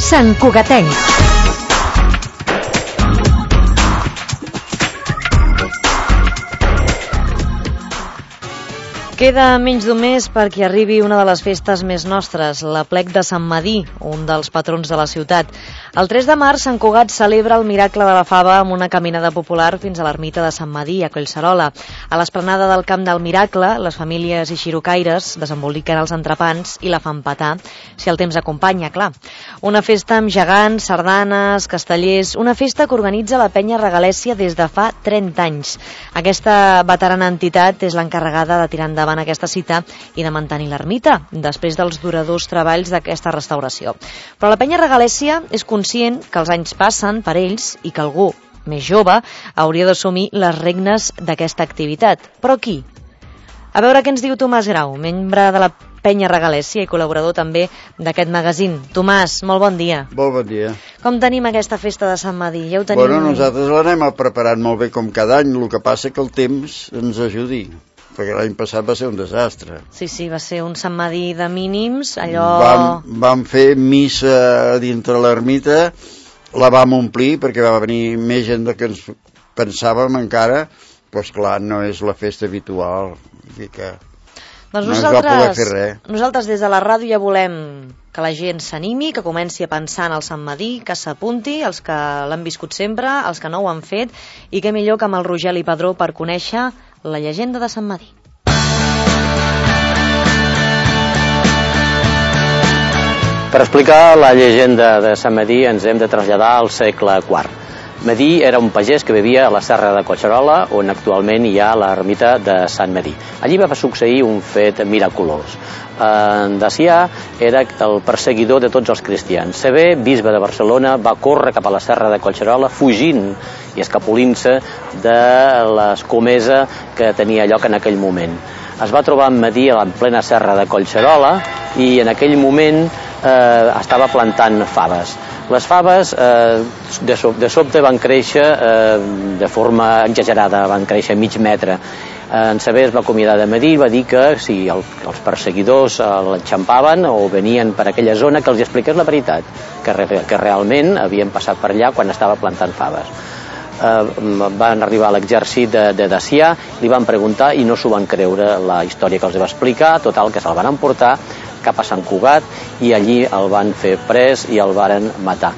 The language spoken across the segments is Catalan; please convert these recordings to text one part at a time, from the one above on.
Sant Cugatenc. Queda menys d'un mes perquè arribi una de les festes més nostres, l'Aplec de Sant Medir, un dels patrons de la ciutat. El 3 de març, Sant Cugat celebra el miracle de la fava amb una caminada popular fins a l'ermita de Sant Medir, a Collserola. A l'esplanada del Camp del Miracle, les famílies i xirocaires desemboliquen els entrepans i la fan petar, si el temps acompanya, clar. Una festa amb gegants, sardanes, castellers, una festa que organitza la Penya Regalèssia des de fa 30 anys. Aquesta veterana entitat és l'encarregada de tirar endavant aquesta cita i de mantenir l'ermita, després dels duradors treballs d'aquesta restauració. Però la Penya Regalèssia és conscient que els anys passen per ells i que algú més jove hauria d'assumir les regnes d'aquesta activitat. Però qui? A veure què ens diu Tomàs Grau, membre de la Penya Regalèssia i col·laborador també d'aquest magazín. Tomàs, molt bon dia. Molt bon dia. Com tenim aquesta festa de Sant Medir? Ja ho tenim... Bueno, nosaltres l'anem preparant molt bé com cada any, el que passa que el temps ens ajudi, perquè l'any passat va ser un desastre. Sí, va ser un Sant Medir de mínims, allò... Vam fer missa dintre l'ermita, la vam omplir perquè va venir més gent del que ens pensàvem encara, doncs clar, no és la festa habitual, i que doncs no es va poder fer res. Nosaltres des de la ràdio ja volem que la gent s'animi, que comenci a pensar en el Sant Medir, que s'apunti, els que l'han viscut sempre, els que no ho han fet, i què millor que amb el Rogeli Padró per conèixer la llegenda de Sant Medir. Per explicar la llegenda de Sant Medir ens hem de traslladar al segle IV. Medir era un pagès que vivia a la serra de Collserola, on actualment hi ha l'ermita de Sant Medir. Allí va succeir un fet miraculós. En Dacià era el perseguidor de tots els cristians. Sever, bisbe de Barcelona, va córrer cap a la serra de Collserola fugint i escapolint-se de l'escomesa que tenia lloc en aquell moment. Es va trobar en Medir en plena serra de Collserola i en aquell moment estava plantant faves. Les faves de sobte van créixer de forma exagerada, van créixer mig metre. En Sever es va acomiadar de Medir i va dir que si els perseguidors l'enxampaven o venien per aquella zona que els expliqués la veritat, que realment havien passat per allà quan estava plantant faves. Van arribar a l'exèrcit de Dacià, li van preguntar i no s'ho van creure la història que els va explicar, total que se'l van emportar cap a Sant Cugat i allí el van fer pres i el varen matar.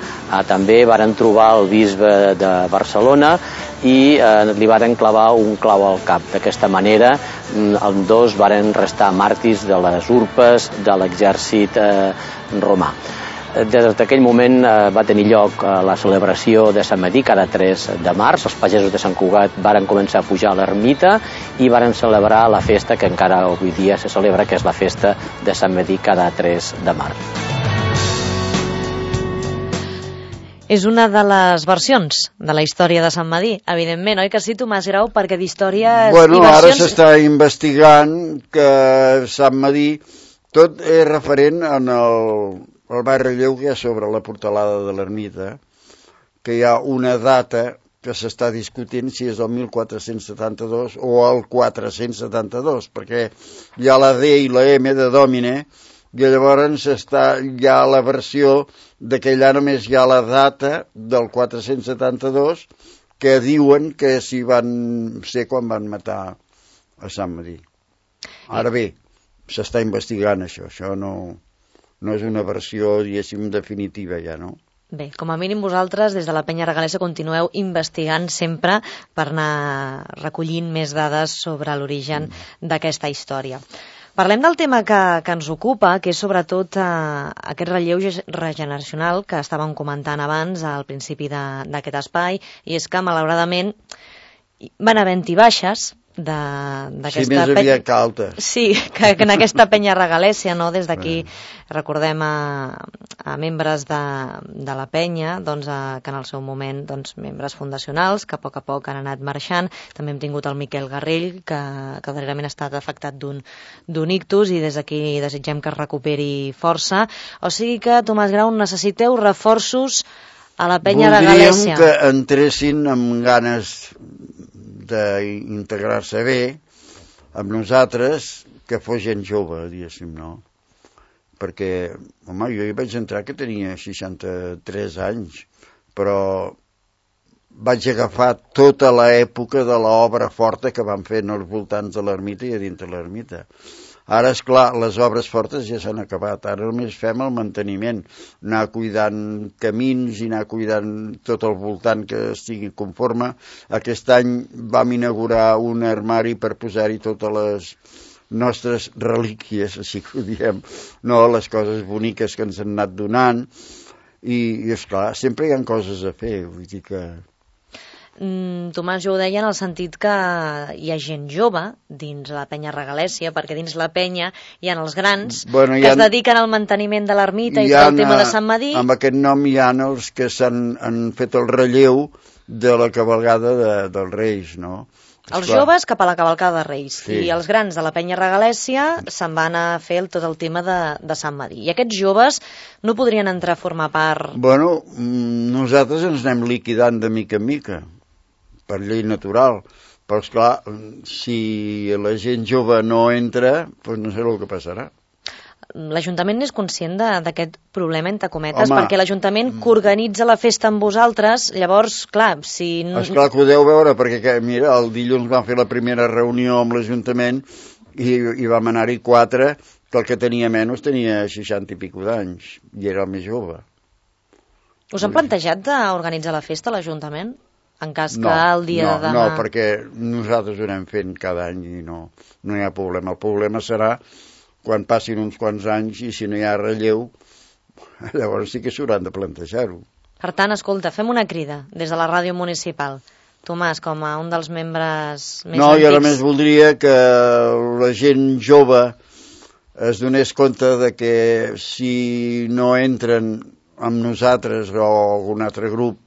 També varen trobar el bisbe de Barcelona i li varen clavar un clau al cap. D'aquesta manera, els dos varen restar màrtirs de les urpes de l'exèrcit romà. Des d'aquell moment va tenir lloc la celebració de Sant Medir cada 3 de març. Els pagesos de Sant Cugat varen començar a pujar a l'ermita i varen celebrar la festa que encara avui dia se celebra, que és la festa de Sant Medir cada 3 de març. És una de les versions de la història de Sant Medir, evidentment, oi que sí, Tomàs Grau? Perquè d'històries i versions... Bueno, ara s'està investigant que Sant Medir tot és referent en el baix relleu que hi ha sobre la portalada de l'ermita, que hi ha una data que s'està discutint si és el 1472 o el 472, perquè hi ha la D i la M de Domine, i llavors hi ha la versió de que allà només hi ha la data del 472, que diuen que si van ser quan van matar a Sant Medir. Ara bé, s'està investigant això no és una versió, diguéssim, definitiva ja, no? Bé, com a mínim vosaltres, des de la Penya Regalèssia, continueu investigant sempre per anar recollint més dades sobre l'origen d'aquesta història. Parlem del tema que ens ocupa, que és sobretot aquest relleu regeneracional que estàvem comentant abans al principi d'aquest espai, i és que, malauradament, van havent-hi baixes sí, més aviat que altes. Sí, que en aquesta Penya Regalèssia, no? Des d'aquí recordem a membres de la penya, doncs, que en el seu moment, doncs, membres fundacionals que a poc han anat marxant. També hem tingut el Miquel Garrell, que darrerament ha estat afectat d'un ictus, i des d'aquí desitgem que es recuperi força. O sigui que, Tomàs Grau, necessiteu reforços a la Penya Regalèssia. Voldríem que entressin amb ganes d'integrar-se bé amb nosaltres, que fos gent jove, diguéssim, no? perquè, home, jo hi vaig entrar que tenia 63 anys, però vaig agafar tota l'època de l'obra forta que van fer als voltants de l'ermita i a dintre l'ermita. Ara, és clar, les obres fortes ja s'han acabat. Ara només fem el manteniment, anar cuidant camins i anar cuidant tot el voltant que estigui conforme. Aquest any vam inaugurar un armari per posar-hi totes les nostres relíquies, així que ho diem, no, les coses boniques que ens han anat donant. I esclar, sempre hi ha coses a fer, vull dir que... Tomàs, jo ho deia en el sentit que hi ha gent jove dins la penya Regalèssia, perquè dins la penya hi ha els grans que es dediquen al manteniment de l'ermita i tot el tema de Sant Medir. Amb aquest nom hi ha els que han fet el relleu de la cavalcada dels Reis, no? Els joves cap a la cavalcada de Reis, sí. I els grans de la penya Regalèssia se'n van a fer tot el tema de Sant Medir. I aquests joves no podrien entrar a formar part... Bueno, nosaltres ens anem liquidant de mica en mica, per llei natural, però esclar, si la gent jove no entra, doncs no sé el que passarà. L'Ajuntament és conscient d'aquest problema, entre cometes, perquè l'Ajuntament que organitza la festa amb vosaltres, llavors, clar, si... Esclar que ho deu veure, perquè, mira, el dilluns vam fer la primera reunió amb l'Ajuntament i vam anar-hi 4, que el que tenia menys tenia 60 i pico d'anys, i era el més jove. Us han plantejat d'organitzar la festa a l'Ajuntament? En cas que el dia de demà... No, perquè nosaltres ho anem fent cada any i no hi ha problema. El problema serà quan passin uns quants anys i si no hi ha relleu, llavors sí que s'hauran de plantejar-ho. Per tant, escolta, fem una crida des de la ràdio municipal. Tomàs, com a un dels membres més antics... Jo només voldria que la gent jove es donés compte de que si no entren amb nosaltres o algun altre grup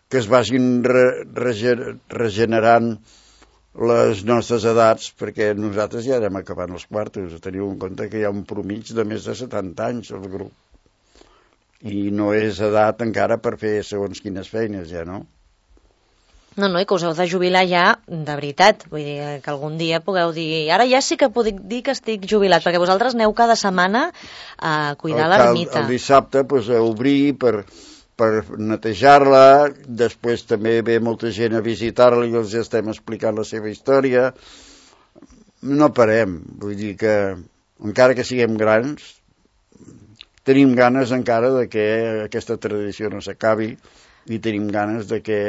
que es vagin regenerant les nostres edats, perquè nosaltres ja anem acabant els quartos. Teniu en compte que hi ha un promig de més de 70 anys al grup i no és edat encara per fer segons quines feines, ja, no? No, i que us heu de jubilar ja de veritat, vull dir que algun dia pugueu dir, ara ja sí que puc dir que estic jubilat, perquè vosaltres aneu cada setmana a cuidar l'ermita. El dissabte a obrir per netejar-la, després també ve molta gent a visitar-la i els estem explicant la seva història. No parem, vull dir que encara que siguem grans, tenim ganes encara de que aquesta tradició no s'acabi i tenim ganes de que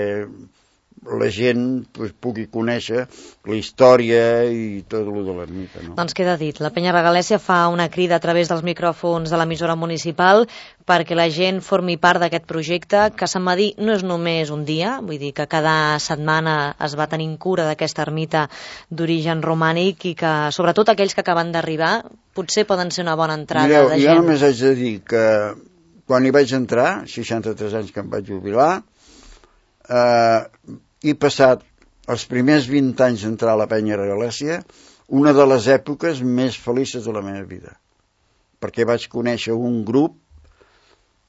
la gent pugui conèixer la història i tot el de l'ermita, no? Doncs queda dit, la penya Regalèssia fa una crida a través dels micròfons de l'emissora municipal perquè la gent formi part d'aquest projecte, que Sant Medir no és només un dia, vull dir que cada setmana es va tenint cura d'aquesta ermita d'origen romànic i que, sobretot aquells que acaben d'arribar, potser poden ser una bona entrada de gent. Jo només haig de dir que quan hi vaig entrar, 63 anys que em vaig jubilar, he passat els primers 20 anys d'entrar a la penya Regalèssia una de les èpoques més felices de la meva vida, perquè vaig conèixer un grup,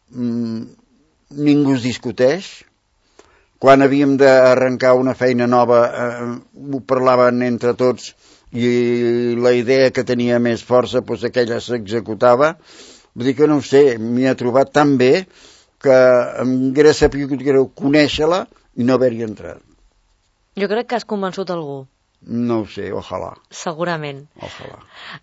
ningú es discuteix, quan havíem d'arrencar una feina nova ho parlaven entre tots i la idea que tenia més força aquella s'executava. Vull dir que no ho sé, m'hi he trobat tan bé que em hauria sabut greu conèixer-la i no haver-hi entrat. Jo crec que has convençut algú. No ho sé, ojalà. Segurament. Ojalà.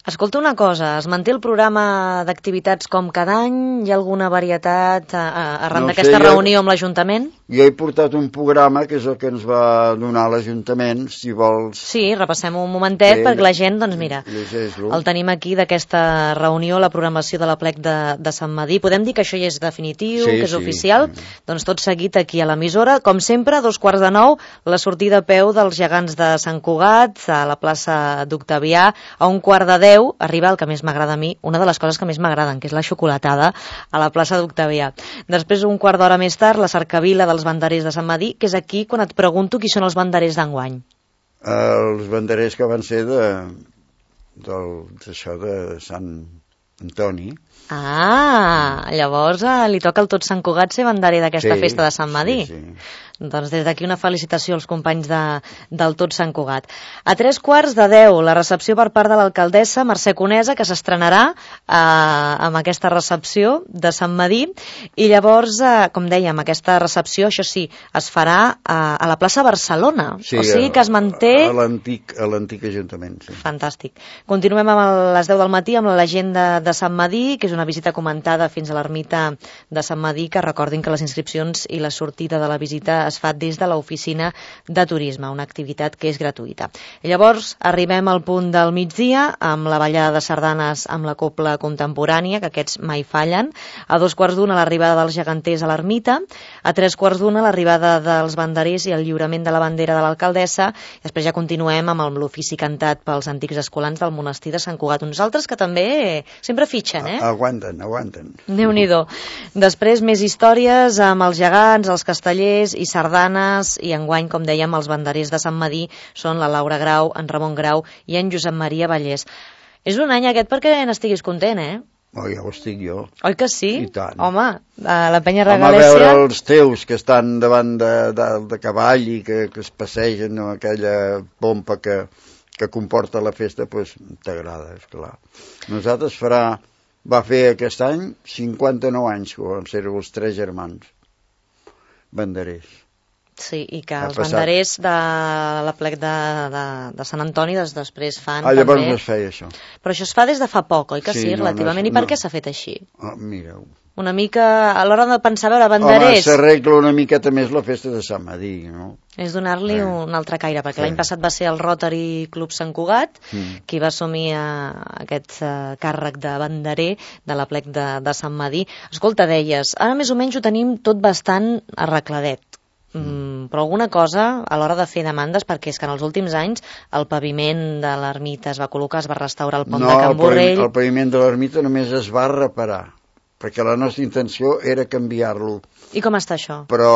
Escolta una cosa, es manté el programa d'activitats com cada any? Hi ha alguna varietat arran d'aquesta reunió amb l'Ajuntament? Jo he portat un programa que és el que ens va donar l'Ajuntament, si vols... Sí, repassem un momentet perquè la gent, doncs mira, el tenim aquí d'aquesta reunió, la programació de l'aplec de Sant Medir. Podem dir que això ja és definitiu, que és oficial? Doncs tot seguit aquí a l'emissora. Com sempre, 8:45, la sortida a peu dels gegants de Sant Cugat, a la plaça d'Octavià. A 9:45 arriba el que més m'agrada a mi, una de les coses que més m'agraden, que és la xocolatada a la plaça d'Octavià. Després, un quart d'hora més tard, la cercavila dels banderers de Sant Medir, que és aquí quan et pregunto qui són els banderers d'enguany. Els banderers que van ser d'això de Sant Antoni. Llavors li toca al Tots Sant Cugat ser banderer d'aquesta festa de Sant Medir. Sí. Doncs des d'aquí una felicitació als companys del Tots Sant Cugat. A 9:45, la recepció per part de l'alcaldessa Mercè Conesa, que s'estrenarà amb aquesta recepció de Sant Medir, i llavors, com dèiem, aquesta recepció, això sí, es farà a la plaça Barcelona, sí, o sigui que es manté... A l'antic Ajuntament, sí. Fantàstic. Continuem a les 10 del matí amb la llegenda de Sant Medir, que és una visita comentada fins a l'ermita de Sant Medir, que recordin que les inscripcions i la sortida de la visita es fa des de l'oficina de turisme, una activitat que és gratuïta. I llavors arribem al punt del migdia amb la ballada de sardanes amb la copla contemporània, que aquests mai fallen. A 2:15 l'arribada dels geganters a l'ermita, a 3:15 l'arribada dels banderers i el lliurament de la bandera de l'alcaldessa, i després ja continuem amb l'ofici cantat pels antics escolans del monestir de Sant Cugat. Uns altres que també sempre fitxen, Aguanten. Déu-n'hi-do. Després més històries amb els gegants, els castellers i sardanes, i enguany, com dèiem, els banderers de Sant Medir són la Laura Grau, en Ramon Grau i en Josep Maria Vallès. És un any aquest perquè n'estiguis content, Ja ho estic jo. Oi que sí? I tant. Home, a la penya Regalèssia... Home, veure els teus que estan davant de cavall i que es passegen amb aquella pompa que comporta la festa, doncs t'agrada, esclar. Nosaltres va fer aquest any 59 anys que vam ser els 3 germans banderers. Sí, i que els banderers de la plec de Sant Antoni després fan llavors també... no es feia això. Però això es fa des de fa poc, oi que sí, relativament? I per què s'ha fet així? Mireu. Una mica, a l'hora de pensar, veure, banderers... Home, s'arregla una miqueta més la festa de Sant Medir, no? És donar-li un altre caire, perquè l'any passat va ser el Rotary Club Sant Cugat qui va assumir aquest càrrec de banderer de la plec de Sant Medir. Escolta, deies, ara més o menys ho tenim tot bastant arregladet. Però alguna cosa a l'hora de fer demandes, perquè és que en els últims anys el paviment de l'ermita es va col·locar, es va restaurar el pont de Can Borrell... No, el paviment de l'ermita només es va reparar, perquè la nostra intenció era canviar-lo. I com està això? Però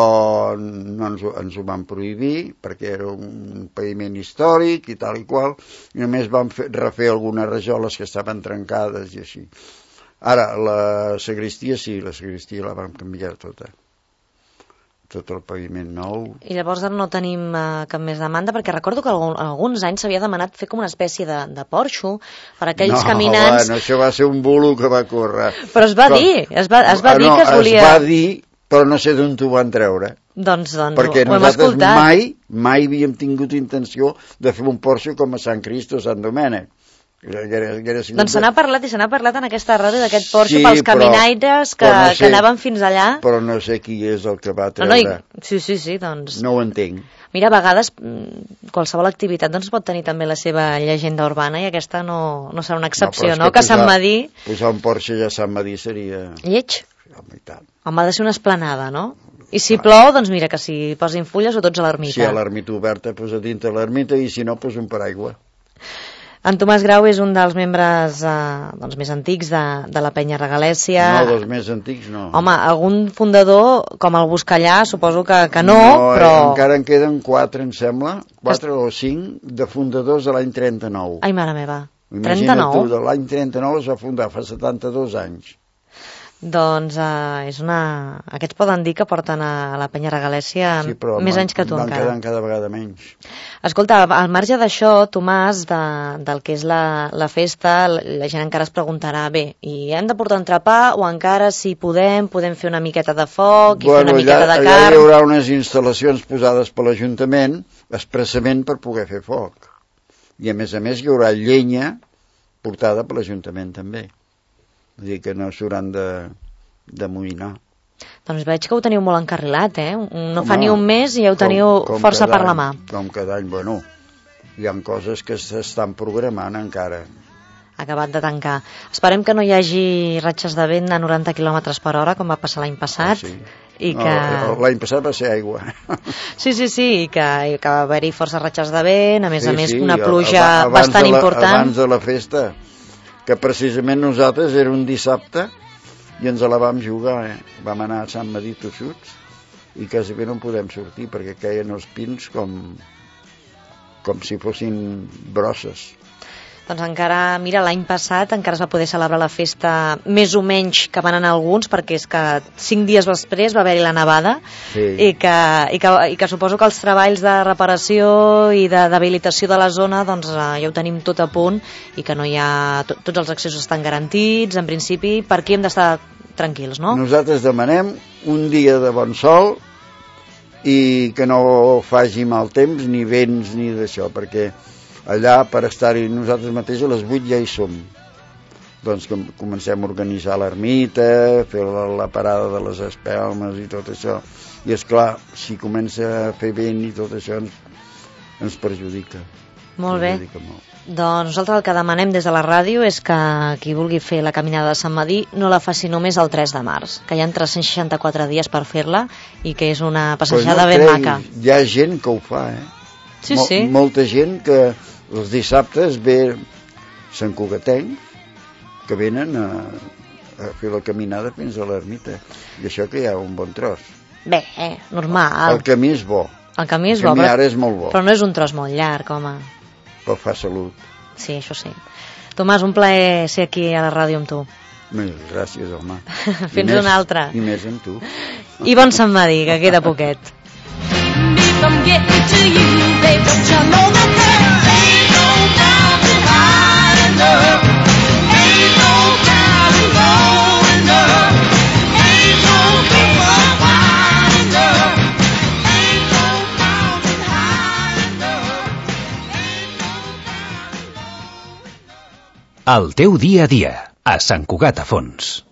no ens ho van prohibir, perquè era un paviment històric i tal i qual, i només vam refer algunes rajoles que estaven trencades i així. Ara, la sagristia sí, la sagristia la vam canviar tota. Tot el paviment nou. I llavors no tenim cap més demanda, perquè recordo que alguns anys s'havia demanat fer com una espècie de porxo per aquells caminants... No, això va ser un bulo que va córrer. Però es va dir, es va dir que es volia... Es va dir, però no sé d'on t'ho van treure. Doncs perquè nosaltres mai havíem tingut intenció de fer un porxo com a Sant Crist o Sant Domènec. Doncs se n'ha parlat en aquesta ràdio d'aquest Porsche pels caminaires que anaven fins allà. Però no sé qui és el que va treure. Sí, doncs... No ho entenc. Mira, a vegades qualsevol activitat pot tenir també la seva llegenda urbana i aquesta no serà una excepció, no? Que Sant Medir... Posar un Porsche ja a Sant Medir seria... Lleig? Home, ha de ser una esplanada, no? I si plou, doncs mira, que si posin fulles o tots a l'ermita. Si hi ha l'ermita oberta, posa dintre l'ermita i si no, posa un paraigua. En Tomàs Grau és un dels membres més antics de la penya Regalèssia. No, dels més antics no. Home, algun fundador, com el Buscallà, suposo que no, però... encara en queden 4, em sembla, 4 o 5 de fundadors de l'any 39. Ai, mare meva, 39? Imagina't tu, de l'any 39 es va fundar, fa 72 anys. Doncs aquests poden dir que porten a la penya Regalèssia més anys que tu encara. Sí, però van quedant cada vegada menys. Escolta, al marge d'això, Tomàs, del que és la festa, la gent encara es preguntarà, bé, i hem de portar entrepà o encara, si podem fer una miqueta de foc i fer una miqueta de carn? Allà hi haurà unes instal·lacions posades per l'Ajuntament expressament per poder fer foc. I a més hi haurà llenya portada per l'Ajuntament també. Vull dir que no s'hauran d'amoïnar. Doncs veig que ho teniu molt encarrilat, No fa ni un mes i ja ho teniu força per la mà. Com cada any, hi ha coses que s'estan programant encara. Acabat de tancar. Esperem que no hi hagi ratxes de vent a 90 km per hora, com va passar l'any passat. I que... L'any passat va ser aigua. Sí, i que va haver-hi força ratxes de vent, a més una pluja bastant important. Abans de la festa, que precisament nosaltres era un dissabte i ens la vam jugar, Vam anar a Sant Medir tossuts i quasi bé no en podem sortir perquè queien els pins com si fossin brosses. Doncs encara, mira, l'any passat encara es va poder celebrar la festa més o menys que van anar alguns, perquè és que 5 dies després va haver-hi la nevada, sí. i que suposo que els treballs de reparació i d'habilitació de la zona doncs ja ho tenim tot a punt i que no hi ha... Tots els accessos estan garantits, en principi, per aquí hem d'estar tranquils, no? Nosaltres demanem un dia de bon sol i que no faci mal temps, ni vents, ni d'això, perquè allà, per estar-hi nosaltres mateixos, a les 8 ja hi som. Doncs que comencem a organitzar l'ermita, fer la parada de les espelmes i tot això. I és clar, si comença a fer vent i tot això ens perjudica. Molt bé. Doncs nosaltres el que demanem des de la ràdio és que qui vulgui fer la caminada de Sant Medir no la faci només el 3 de març, que hi ha 364 dies per fer-la i que és una passejada ben maca. Hi ha gent que ho fa, Sí, sí. Molta gent que els dissabtes ve Sant Cugatencs que venen a fer la caminada fins a l'ermita. I això que hi ha un bon tros. Bé, normal. El camí és bo. El camí és bo, ara és molt bo. Però no és un tros molt llarg, home. Però fa salut. Sí, això sí. Tomàs, un plaer ser aquí a la ràdio amb tu. Gràcies, home. Fins una altra. I més amb tu. I bon Sant Medir, que queda poquet. I'm getting to you, babe, don't you know that there ain't no mountain high enough, ain't no mountain low enough, ain't no river wide enough, ain't no mountain high enough, ain't no mountain low enough. El teu dia a dia, a Sant Cugat a Fons.